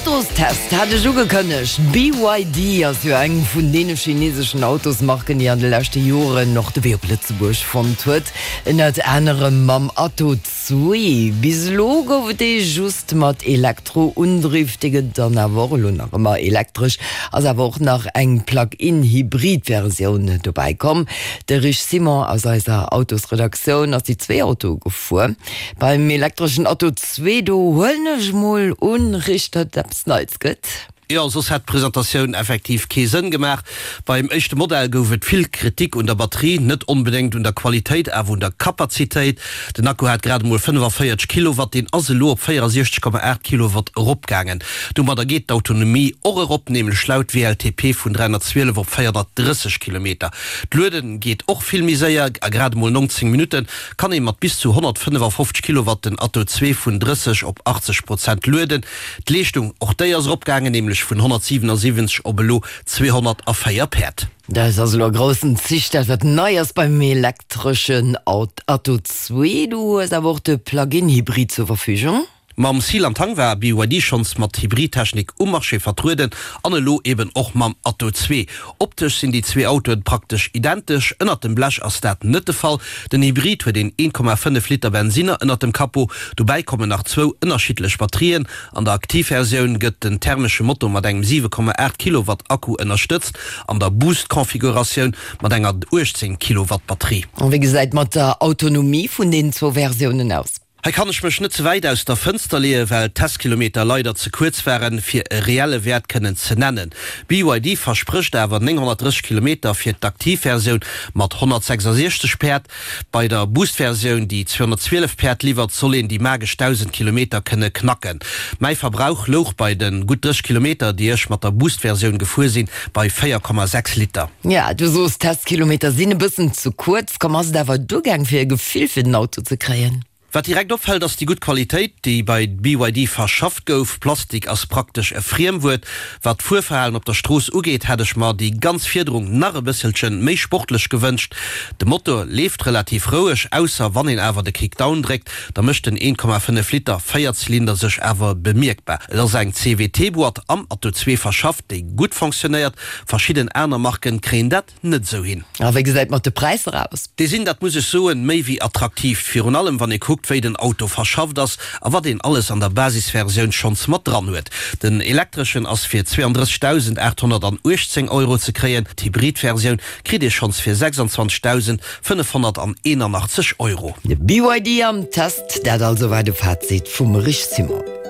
Autostest hat ech ugekënnegt. BYD ass jo eng vun deene chineseschen Autosmarken, déi an de leschte Joren och de Wee op Lëtzebuerg fonnt huet. Ënnert anerem mam Atto 2. Bis elo gouf et dee just mat Elektroundriff. Dee gëtt dann awer och elo nach ëmmer elektresch. Ass awer och nach eng Plug-in-Hybrid-Versioun dobäi komm. De Rich Simon aus eiser Autosredaktioun ass déi zwee Autoe gefuer. Beim elektreschen Atto 2, do huelen ech mol un, Rich, datt et eppes Neits gëtt? Jo, soss hätt d'Presentatioun effektiv kee Sënn gemaach. Beim éischte Modell gouf et vill Kritik un der Batterie, net onbedéngt un der Qualitéit, awer un der Kapazitéit. Den Akku hat grad emol 45 Kilowatt, deen ass elo op 64,8 Kilowatt eropgaangen. Domadder geet d'Autonomie och erop, nämlech laut WLTP vun 312 op 430 Kilometer. D'Luede geet och vill méi séier, a grad emol 19 Minutte kann ee mat bis zu 155 Kilowatt den Atto 2 vun 30 op 80 Prozent lueden. D'Leeschtung, och déi ass eropgaangen, nämlech vun 177 op elo 204 Päerd. Dat ass elo a groussen Zich dat, wat nei ass beim elektreschen Atto 2. Du hues awer och de Plug-in-Hybrid zur Verfügung. Mam Seal an Tang war BYD schonns mat Hybridtechnik um Marché vertrueden an elo eben och mam Atto 2. Optesch sinn déi zwee Autoen praktesch identesch, ënnert dem Blech ass dat net de Fall. Den Hybrid huet een 1,5 Liter Bensinner ënnert dem Capot, dobäi kommen nach zwou ënnerschiddlech Batterien. An der Aktivversioun gëtt den thermesche Motor mat engem 7,8 Kilowatt Akku ënnerstëtzt, an der Boost-Configuratioun mat enger 18 Kilowatt Batterie. A wéi gesäit mat der Autonomie vun den zwou Versiounen aus? Hei kann ech mech net ze wäit aus der Fënster leeën, well d'Testkilometer leider ze kuerz waren, fir e reelle Wäert kënnen ze nennen. BYD versprécht awer 930 Kilometer fir d'Aktivversioun mat 166 Päerd. Bei der Boost-Versioun, déi 212 Päerd liwwert, soll een déi magesch 1.000 Kilometer kënne knacken. Mäi Verbrauch louch bei de gutt 30 Kilometer, déi ech mat der Boost-Versioun gefuer sinn, bei 4,6 Liter. Ja, du soos d'Testkilometer sinn e bëssen ze kuerz komm. Ass et awer duergaang fir e Gefill fir den Auto ze kréien? Wat direkt opfält ass déi gutt Qualitéit, déi bei BYD verschafft gouf. Plastik ass praktesch e Friemwuert. Wat d'Fuerverhalen op der Strooss ugeet, hätt ech mer déi ganz Fiederung nach e bësselchen méi sportlech gewënscht. De Motor leeft relativ roueg, ausser wann een awer de Kickdown dréckt, da mécht den 1,5 Liter Véierzylinder sech awer bemierkbar. Et ass eng CVT-Boîte am Atto 2 verschafft, déi gutt fonctionnéiert. Verschidden aner Marken kréien dat net esou hin. A wéi gesäit mat de Präisser aus? Déi sinn, dat muss ech soen, méi wéi attraktiv, virun allem wann ee kuckt wéi den Auto verschafft ass a wat een alles an der Basisversioun schonns mat dran huet. Den elektreschen ass fir 32.818 Euro ze kréien, d'Hybridversioun kritt ee schonns fir 26.581 Euro. De BYD am Test, dat also war de Fazit vum Rich Simon.